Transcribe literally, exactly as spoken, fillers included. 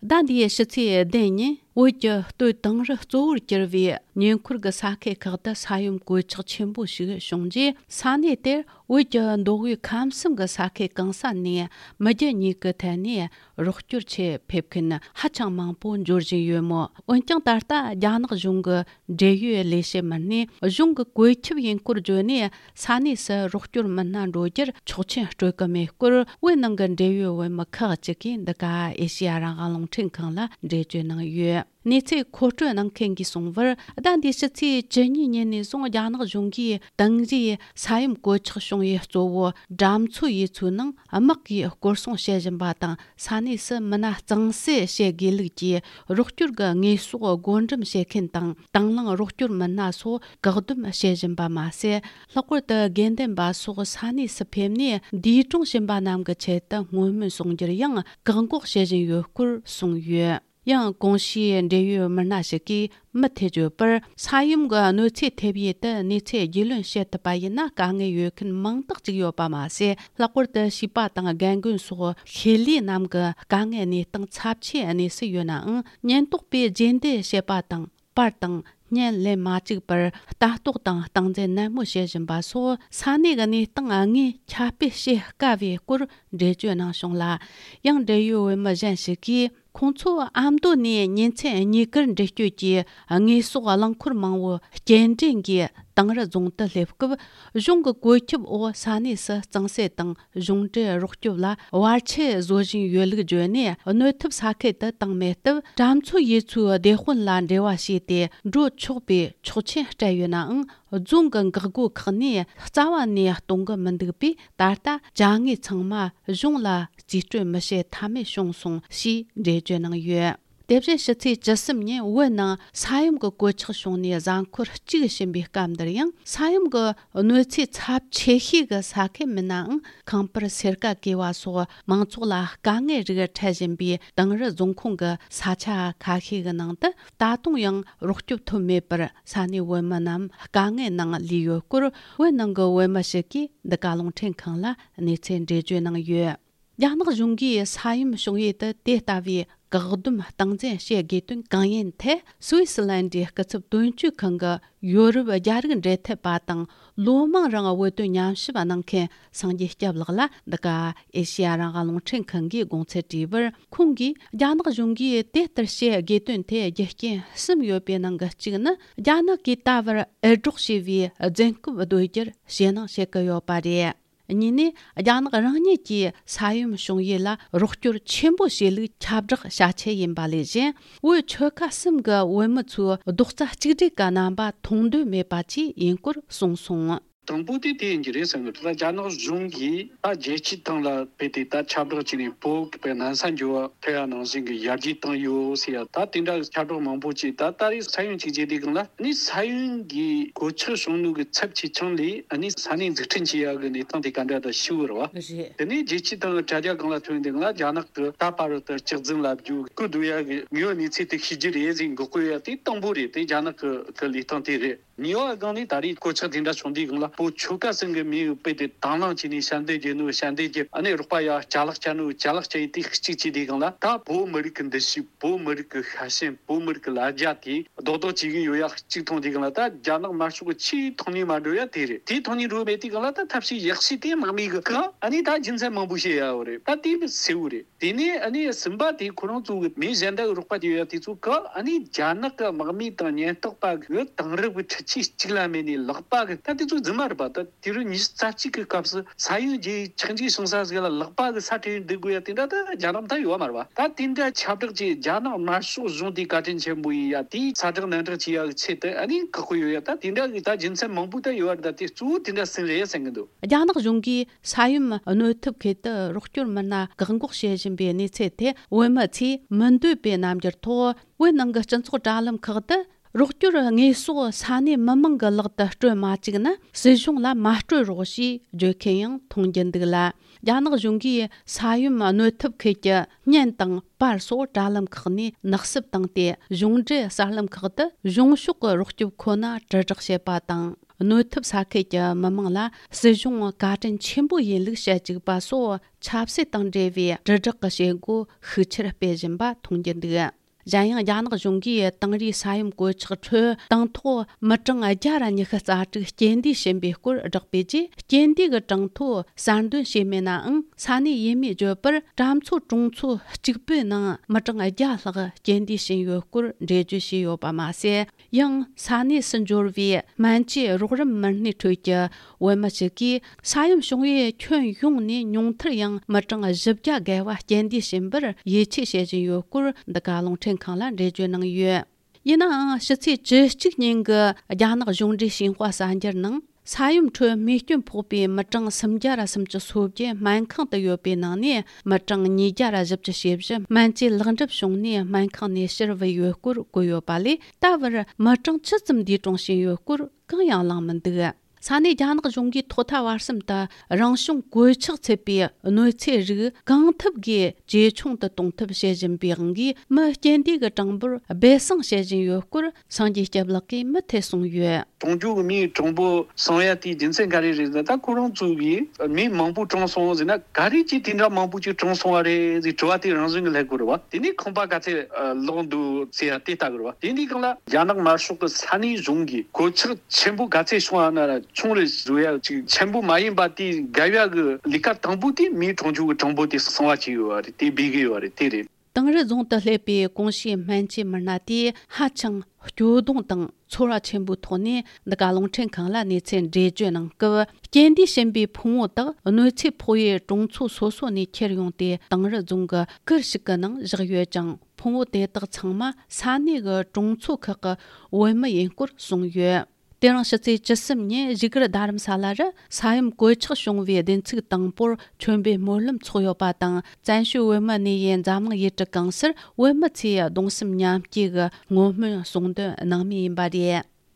ཟླ་འདིའི་ཕྱི་ཚེས་བདུན་ཉིན་བོད་ཀྱི་སྟོད་དིང་རི་གཙོ་བོར་གྱུར་བའི་ཉེ་འཁོར་གྱི་ས་ཁུལ་ཁག་ཏུ་ས་ཡོམ་གོད་ཆག་ཆེན་པོ་ཞིག་བྱུང་རྗེས། ས་གནས་དེར་བོད་ཀྱི་མདོ་དབུས་ཁམས་གསུམ་གྱི་ས་ཁུལ་གང་ས་ནས་མི་རྒྱུ་གཉིས་ཀྱི་ཐད་ནས་རོགས་སྐྱོར་ཆེད་ཕེབས་མཁན་ཧ་ཅང་མང་པོ་འབྱོར་བཞིན་ཡོད་མོད། འོན་ཀྱང་ད་ལྟ་རྒྱ་ནག་གཞུང་གི་འབྲེལ་ཡོད་ལས་བྱེད་མི་སྣས་གཞུང་གི་བཀོད་ཁྱབ་ཡིན་སྐོར་བརྗོད་ནས། ས་གནས་སུ་རོགས་སྐྱོར་མི་སྣ་འགྲོ་རྒྱུར་ཆོག་མཆན་སྤྲོད་ཀྱི་མེད་སྐོར། བོད་ནང་གི་འབྲེལ་ཡོད་བོད་མི་ཁག་ཅིག་གིས་འདི་ག་ཨེ་ཤེ་ཡ་རང་དབང་རླུང་འཕྲིན་ཁང་ལ་འགྲེལ་བརྗོད་གནང་ཡོད། གནས་ཚུལ་མཁོ་སྤྲོད་གནང་མཁན་གྱིས་གསུངས་པར། ཟླ་འདིའི་ཕྱི་ཚེས་བཅུ་གཉིས་ཉིན་ནས་བཟུང་རྒྱ་ནག་གཞུང་གིས་དིང་རིའི་ས་ཡོམ་གོད་ཆག་བྱུང་བའི་གཙོ་བོ་གྲམ་མཚོ་ཡུལ་ཚོའི་ནང་དམག་གིས་སྐོར་སྲུང་བྱེད་བཞིན་པ་དང་། ས་གནས་སུ་མི་སྣ་གཙང་སེལ་བྱེད་དགོས་ལུགས་ཀྱི་རོགས་སྐྱོར་གྱི་དངོས་ཟོག་བགོ་འགྲེམས་བྱེད་མཁན་དང་། དང་བླངས་རོགས་སྐྱོར་མི་སྣ་སོགས་བཀག་སྡོམ་བྱེད་བཞིན་པ་མ་ཟད། ལྷག་པར་དུ་དགོས་འདུན་པ་སོགས་ས་གནས་སུ་ཕེབས་ནས་འདས་གྲོངས་ཕྱིན་པ་རྣམས་ཀྱི་ཆེད་དུ་བསྔོ་སྨོན་གསུང་རྒྱུར་ཡང་བཀག་འགོག་བྱེད་བཞིན་ཡོད་སྐོར་གསུངས་ཡོད། ཡང་གོང་ཞུས་འབྲེལ་ཡོད་མི་སྣ་ཞིག་གིས་མུ་མཐུད་བརྗོད་པར། ས་ཡོམ་གྱི་གནོད་འཚེ་ཐེབས་ཡུལ་དུ་གནས་ཚུལ་རྒྱུས་ལོན་བྱེད་ཐུབ་པ་ཡིན་ན། དཀའ་ངལ་ཡོད་མཁན་མང་དག་ཅིག་ཡོད་པ་མ་ཟད། ལྷག་པར་དུ་བྱིས་པ་དང་རྒན་རྒོན་སོགས་ཤེས་ལས་རྣམས་ཀྱི་དཀའ་ངལ་གནས་སྟངས་ཚབས་ཆེའི་གནས་སུ་ཡོད་ནའང་། ཉེན་རྟོག་པས་རྗེས་འདེད་བྱེད་པ་དང་། པར་དང་བརྙན་ལེན་མ་བཅུག་པར་ལྟ་རྟོག་དང་སྟངས་འཛིན་ནན་མོ་བྱེད་བཞིན་པ་སོགས། ས་གནས་ཀྱི་གནས་སྟངས་དངོས་ཁྱབ་སྤེལ་བྱེད་དཀའ་བའི་སྐོར་འགྲེལ་བརྗོད་གནང་བྱུང་ལ། ཡང་འབྲེལ་ཡོད་བོད་མི་གཞན་ཞིག་གིས། ཁོང་ཚོ་ཨ་མདོ་ནས་ཉིན་མཚན་གཉིས་ཀར་འགྲུལ་སྐྱོད་ཀྱིས་དངོས་ཟོག་རླངས་འཁོར་མང་བོ་སྐྱེལ་འདྲེན་གྱིས་དིང་རི་རྫོང་དུ་སླེབས་སྐབས། གཞུང་གི་བཀོད་ཁྱབ་འོག་ས་གནས་སུ་གཙང་སེལ་དང་གཞུང་འབྲེལ་རོགས་སྐྱོབ་ལ་བར་ཆད་བཟོ་བཞིན་ཡོད་ལུགས་བརྗོད་ནས། གནོད་ཐེབས་ས་ཁུལ་དུ་བཏང་མེད་སྟབས། གྲམ་མཚོ་ཡུལ་ཚོའི་སྡེ་དཔོན་ལ་འབྲེལ་བ་བྱས་ཏེ་འགྲོ་ཆོག་པའི་ཆོག་མཆན་སྤྲད་ཡོད་ནའང་། རྫོང་གི་འགག་སྒོ་ཁག་ནས་རྩ་བ་ནས་གཏོང་གི་མི་འདུག་པས། ད་ལྟ་དྲ་ངོས་ཚང་མ་གཞུང་ལ་རྩིས་སྤྲོད་མི་བྱེད་ཐབས་མེད་བྱུང་སོང་ཞེས་འགྲེལ་བརྗོད་གནང་ཡོད། དེ་བཞིན་ཕྱི་ཚེས་བཅུ་གསུམ་ཉིན་བོད་ནང་ས་ཡོམ་གྱི་གོད་ཆག་བྱུང་ནས་གཟའ་འཁོར་གཅིག་ཕྱིན་པའི་སྐབས་འདིར་ཡང་། ས་ཡོམ་གྱི་གནོད་འཚེ་ཚབས་ཆེ་ཤོས་ཀྱི་ས་ཁུལ་མིན་ནའང་། ཁང་པར་སེར་ཀ་གས་པ་སོགས་མང་ཚོགས་ལ་དཀའ་ངལ་རིགས་འཕྲད་བཞིན་པའི་དིང་རི་རྫོང་ཁོངས་ཀྱི་ས་ཆ་ཁ་ཤས་ཀྱི་ནང་དུ། ད་དུང་ཡང་རོགས་སྐྱོབ་ཐོབ་མེད་པར། ས་གནས་བོད་མི་རྣམས་དཀའ་ངལ་ནང་ལུས་ཡོད་སྐོར། བོད་ནང་གི་བོད་མི་ཞིག་གིས་འདི་ག་རླུང་འཕྲིན་ཁང་ལ་གནས་ཚུལ་འགྲེལ་བརྗོད་གནང་ཡོད། རྒྱ་ནག་གཞུང་གིས་ས་ཡོམ་བྱུང་ཡུལ་དུ་དེ་ལྟ་བུའི་བཀག་སྡོམ་སྟངས་འཛིན་བྱེད་དགོས་དོན་གང་ཡིན་ཐད། སུད་སི་ལན་ཌིའི་སྐུ་ཚབ་དོན་གཅོད་ཁང་གི་ཡོ་རོབ་རྒྱ་རིགས་འབྲེལ་མཐུད་པ་དང་། ལོ་མང་རིང་བོད་དོན་ཉམས་ཞིབ་གནང་མཁན་སངས་རྒྱས་སྐྱབས་ལགས་ལ་འདི་ག་ཨེ་ཤེ་ཡ་རང་དབང་རླུང་འཕྲིན་ཁང་གིས་དགོངས་ཚུལ་དྲིས་པར། ཁོང་གིས་རྒྱ་ནག་གཞུང་གིས་དེ་ལྟར་བྱེད་དགོས་དོན་དེ་རྒྱུ་རྐྱེན་གསུམ་ཡོད་པའི་ནང་གི་གཅིག་ནི། རྒྱ་ནག་གིས་ད་བར་འུར་སྒྲོག་བྱས་པའི་རྫུན་རྐུབ་རྡོལ་རྒྱུར་ཞེད་སྣང་བྱེད་ཀྱི་ཡོད་པ་རེད། གཉིས་ནས། རྒྱ་ནག་རང་ཉིད་ཀྱིས་ས་ཡོམ་བྱུང་ཡུལ་ལ་རོགས་སྐྱོར་ཆེན་པོ་བྱས་ལུགས་ཁྱབ་བསྒྲགས་བྱ་ཆེད་ཡིན་པ་ལས་གཞན། བོད་ཆོལ་ཁ་གསུམ་གྱི་བོད་མི་ཚོའི་རྡོག་རྩ་གཅིག་སྒྲིལ་གྱི་རྣམ་པ་མཐོང་འདོད་མེད་པ་བཅས་ཡིན་སྐོར་གསུངས་སོང་། དང་པོ་དེ་དེ་ཡིན་གྱི་རེད་བསམ་གྱི་འདུག་ད་རྒྱ་ནག་གཞུང་གིས་ད་རྒྱལ་སྤྱིའི་སྟེང་ལ་ཕེབས་ཏེ་ད་ཁྱབ་བསྒྲགས་བྱས་ནས། བོད་པའི་ནང་ས་འགྱུར་བ་ཐེབས་ཡ་ནང་བཞིན་གྱི་ཡར་རྒྱས་བཏང་ཡོད་ཟེར་ཡ། ད་དེ་འདྲ་ཁྱབ་བསྒྲགས་མང་པོ་བྱས། ད་ད་རེས་ས་ཡོམ་གཅིག་བྱས་དུས་སྒང་ལ་ནི་ས་ཡོམ་གྱི་གོད་ཆག་བྱུང་ལུགས་ཀྱི་ཚབས་ཆེ་ཆུང་ལས། ཨ་ནི་ས་གནས་འཛུགས་སྐྲུན་བྱེད་ཡག་གི་གནས་སྟངས་དེ་ག་འདྲ་འདྲ་ཞིག་རེད་བ། རེད། དེ་ནས་རྒྱལ་སྤྱིའི་སྟེང་གི་དྲ་རྒྱ་སྒང་ལ་ཐོན་དུས་སྒང་ལ། རྒྱ་ནག་གི་ད་བར་དུ་ལྕགས་རྫུན་ལབ་རྒྱུ་སྐུལ་འདོད་ཡག་གི་དངོས་ཡོད་གནས་ཚུལ་དེ་ཤེས་རྒྱུ་རེད་ཟེར་འགོག་དགོས་ཡ་དེ་དང་པོ་རེད། དེ་རྒྱ་ནག་གི་གི་ལས་སྟངས་དེ་རེད། གཉིས་པ་སྒང་ནས་ད་རེས་གོད་ཆག་དེ་འདྲ་བྱུང་དུས་སྒང་ལ། བོད་ཆོལ་ཁ་གསུམ་གྱི་མི་ཡི་དཔེ་དེ་དང་བླངས་བྱས་ནས་ཞབས་འདེགས་རྒྱག་ནོ་ཞབས་འདེགས་རྒྱབ། ཨ་ནི་རོགས་པ་ཡ་ཅ་ལག་བསྐྱལ་ནོ་ཅ་ལག་བསྐྱལ་ཡ་དེ་གཅིག་བྱས་དུས་སྒང་ལ། ད་བོད་མི་རིགས་ཀྱི་འདུ་ཤེས། བོད་མི་རིགས་ཀྱི་ཤ་ཞེན། བོད་མི་རིགས་ཀྱི་ལ་རྒྱ་དེ་རྡོག་རྡོག་བྱེད་ཀྱི་ཡོད་ཡ་གཅིག་མཐོང་དུས་སྒང་ལ། ད་རྒྱ་ནག་དམར་ཤོག་གི་ཆེས་མཐོང་སྣེ་མ་འགྲོ་ཡ་དེ་རེད། དེ་མཐོང་སྣེ་འགྲོ་མེད་དུས་སྒང་ལ། ད་ཐབས་ཤེས་ཡག་ཤོས་དེ་དམག་མི་གི་བཀག་ཨ་ནི་ད་རྒྱུ་མཚན་མང་པོ་བཤད་ཡ་ཡོད་རེད། ད་དེ་གསལ་བོ་རེད། དེ་ནས་ཨ་ནི་གསུམ་པ་དེ་ཁོ་རང་ཚོ་གི་མི་གཞན་དག་གི་རོགས་པ་དེ་ཡོད་ཡ་དེ་ཚོ་གི། ཨ་ནི་རྒྱ་ནག་གི་དམག་མི་དང་ཉེན་རྟོག་པ་གི་དེང་རབས་ཀྱི་འཕྲུལ་ཆས་གཅིག་ལ་མེད་ནས་ལག་པ་གི། ད་དེ་ཚོ་རྫུན་མ་རེད་པ། ད་དུས་རབས་ཉི་ཤུ་རྩ་གཅིག་གི་སྐབས་སུ་ས་ཡོམ་རྒྱུ་ཆག་འཇིག་བྱུང་ས་ཟིག་ལ་ལག་པ་གི་ས་ཁྲིད་འདུག་དགོས་ཡ་དེ་འདྲ་ད་རྒྱ་ནག་ད་ཡོད་མ་རེད་པ། ད་དེ་འདྲ་ཁྱབ་བསྒྲགས་ཀྱིས་རྒྱ་ནག་དམར་ཤོག་གཞུང་དེ་བཀའ་དྲིན་ཆེན་པོ་ཡིན་ཡ། དེའི་ཚ་དྲག་ནན་དྲག་བྱེད་ཡ་གི་ཆེད་དུ་ཨ་ནི་བཀག་དགོས་ཡོད་ཡ། ད་དེ་འདྲ་གི་ད་རྒྱུ་མཚན་མང་པོ་ད་ཡོད་རེད། ད་དེ་གཙོ་བོ་དེ་འདྲ་གསུམ་རེད་བསམ་གི་འདུག་རྒྱ་ནག་གཞུང་གིས་ས་ཡོམ་གནོད་ཐེབས་ཁུལ་དུ་རོགས་སྐྱོར་མི་སྣ་བཀག་འགོག་བྱེད་བཞིན་པའི་གནས་ཚུལ་དེ། བོད་མི་ཚོས་མི་འདོད་པའི་རྣམ་འགྱུར་ཐོག་བོད་ནང་གི་སྤྱི་ཚོགས་དྲ་ལམ་ཁག་ཏུ། རོགས་སྐྱོར་དངོས་ཟོག་ས་གནས་མི་མང་གི་ལག་ཏུ་སྤྲོད་མ་བཅུག་ན། སྲིད་གཞུང་ལ་མ་སྤྲོད་རོགས་ཞེས་བརྗོད་མཁན་ཡང་མཐོང་རྒྱུ་འདུག་ལ། རྒྱ་ནག་གཞུང་གིས་ས་ཡོམ་གནོད་ཐེབས་ཁུལ་གྱི་བརྙན་དང་པར་སོགས་དྲ་ལམ་ཁག་ནས་ནག་བསུབ་བཏང་སྟེ། གཞུང་འབྲེལ་གསར་ལམ་ཁག་ཏུ་གཞུང་ཕྱོགས་ཀྱི་རོགས་སྐྱོབ་ཁོ་ན་དྲིལ་བསྒྲགས་བྱེད་པ་དང་། གནོད་ཐེབས་ས་ཁུལ་གྱི་མི་མང་ལ་སྲིད་གཞུང་བཀའ་དྲིན་ཆེན་པོ་ཡིན་ལུགས་བཤད་བཅུག་པ་སོགས་ཆབ་སྲིད་དང་འབྲེལ་བའི་དྲིལ་བསྒྲགས་ཀྱི་བྱེད་སྒོ་ཤུགས་ཆེར་སྤེལ་བཞིན་པ་མཐོང་རྒྱུ་འདུག་གཞན་ཡང་རྒྱ་ནག་གཞུང་གིས་དེང་རིང་ས་ཡོམ་གོད་ཆག་ཁྲོད་དང་ཐོག་མི་གྲངས་བརྒྱ་ར་ཉི་ཤུ་རྩ་དྲུག་རྐྱེན་འདས་ཕྱིན་པའི་སྐོར་བསྒྲགས་པའི་རྗེས། རྐྱེན་འདས་ཀྱི་གྲངས་ཐོ་གསར་འདོན་བྱས་མེད་ནའང་། ས་གནས་ཡུལ་མིས་བརྗོད་པར་གྲྭ་མཚོ་གྲོང་ཚོ་གཅིག་པུའི་ནང་མི་གྲངས་བརྒྱ་ལྷག་རྐྱེན་འདས་ཕྱིན་ཡོད་སྐོར་འགྲེལ་བརྗོད་བྱས་ཡོད་པ་མ་ཟད། ཡང་ས་གནས་སུ་འབྱོར་བའི་སྨན་བཅོས་རོགས་རམ་མི་སྣའི་ཁྲོད་ཀྱི་བོད་མི་ཞིག་གིས། ས་ཡོམ་བྱུང་བའི་ཁྱོན་ཡོངས་ནས་ཉུང་མཐར་ཡང་མི་གྲངས་བཞི་བརྒྱ་བརྒལ་བ་རྐྱེན་འདས་ཕྱིན་པར་ཡིད་ཆེས་བྱེད་བཞིན་ཡོད་སྐོར། འདི་ག་རླུང་འཕྲིན་ཁང་ལ་འགྲེལ་བརྗོད་གནང་ཡོད། ཡིན་ནའང་། ཕྱི་ཚེས་བཅུ་གཅིག་ཉིན་གྱི་རྒྱ་ནག་གཞུང་འབྲེལ་ཞིན་ཧྭ་གསར་འགྱུར་ནང་། ས་ཡོམ་ཁྲོད་རྨས་སྐྱོན་ཕོག་པའི་མི་གྲངས་སུམ་བརྒྱ་ར་སུམ་ཅུ་སོ་བརྒྱད་སྨན་ཁང་དུ་ཡོད་པའི་ནང་ནས། མི་གྲངས་ཉིས་བརྒྱ་ར་བཞི་བཅུ་ཞེ་བཞི་སྨན་བཅོས་ལེགས་འགྲུབ་བྱུང་ནས་སྨན་ཁང་ནས་ཕྱིར་བུད་ཡོད་སྐོར་བཀོད་ཡོད་པ་ལས། ད་བར་མི་གྲངས་ཇི་ཙམ་འདས་གྲོངས་ཕྱིན་ཡོད་སྐོར་གང་ཡང་གླེང་མི་འདུག་ས་གནས་རྒྱ་ནག་གཞུང་གིས་ཐོག་མཐའ་བར་གསུམ་དུ་རང་བྱུང་གོད་ཆག་ཚུད་པའི་གནོད་འཚེ་རིགས་གང་ཐུབ་ཀྱིས་ཇེ་ཆུང་དུ་གཏོང་ཐབས་བྱེད་བཞིན་པའི་དབང་གིས། མི་རྐྱེན་འདས་ཀྱི་གྲངས་འབོར་སྦས་གསང་བྱེད་བཞིན་ཡོད་སྐོར། སངས་རྒྱས་སྐྱབས་ལགས་ཀྱིས་མུ་མཐུད་གསུངས་ཡོད། གྲོང་ཁྱེར་གྱི་མིའི་གྲངས་འབོར་སོང་ཡ་དེའི་རྒྱུ་མཚན་ག་རེ་རེད་ཟེར་ན། ད་ཁོ་རང་ཚོ་གིས་མི་མང་པོ་གྲོངས་སོང་ཟེར་ན། ག་རེ་གྱིས་དེ་འདྲ་མང་པོ་ཅིག་གྲོངས་སོང་བ་རེད་ཟེར་དྲི་བ་དེ་རང་བཞིན་གྱིས་སླེབས་དགོས་རེད་བ། དེ་ནས་ཁང་པ་ག་ཚད་ལོག་འདུག་ཟེར་ཡ་དེ་ལྟ་དགོས་རེད་བ། དེ་འདྲའི་སྒང་ལ་རྒྱ་ནག་དམར་ཤོག་གི་ས་གནས་གཞུང་གིས་གོད་ཆག་ཆེན་པོ་ག་ཚད་བྱུང་བ་ན་ར་ཆུང་རེ་བཟོ་ཡ་ཅིག་ཆེན་པོ་མ་ཡིན་པ་དེ་བརྒལ་ཡ་གི་ལས་ཀ་དང་པོ་དེ་མིའི་གྲོང་ཁྱེར་གྱི་གྲངས་འབོར་དེ་གསང་བ་བྱས་ཡོད་བ་རེད། དེ་སྦས་གི་ཡོད་བ་རེད། དེ་རེད། དིང་རི་རྫོང་དུ་སླེབས་པའི་གོང་ཞུས་སྨན་བཅོས་མི་སྣ་དེས་ཧ་ཅང་སྐྱོ་གདུང་དང་ཚོར་བ་ཆེན་པོའི་ཐོག་ནས། འདི་ག་རླུང་འཕྲིན་ཁང་ལ་གནས་ཚུལ་འགྲེལ་བརྗོད་གནང་སྐབས། རྐྱེན་འདས་ཕྱིན་པའི་ཕུང་བོ་དག་གནོད་འཚེ་ཕོག་པའི་གྲོང་ཚོ་སོ་སོ་ནས་ཁྱེར་ཡོང་སྟེ། དིང་རི་རྫོང་གི་ཁུལ་ཞིག་གི་ནང་བཞག་ཡོད་ཅིང་། ཕུང་བོ་དེ་དག་ཚང་མ་ས་གནས་ཀྱི་གྲོང་ཚོ་ཁག་གི་བོད་མི་ཡིན་སྐོར་གསུངས་ཡོད། དེ་རིང་ཕྱི་ཚེས་བཅུ་གསུམ་ཉིན་བཞུགས་སྒར་རྡ་རམ་ས་ལ་རུ་ས་ཡོམ་གོད་ཆག་བྱུང་བའི་བདུན་ཚིགས་དང་པོར་མཆོད་འབུལ་སྨོན་ལམ་འཚོགས་ཡོད་པ་དང་། བཙན་བྱོལ་བོད་མི་གནས་ཡུལ་འཛམ་གླིང་ཡུལ་གྲུ་གང་སར་བོད་མི་ཚོས་གདུང་སེམས་མཉམ་སྐྱེད་ཀྱི་བསྔོ་སྨོན་གསུང་འདོན་གནང་མུས་ཡིན་པ་རེད།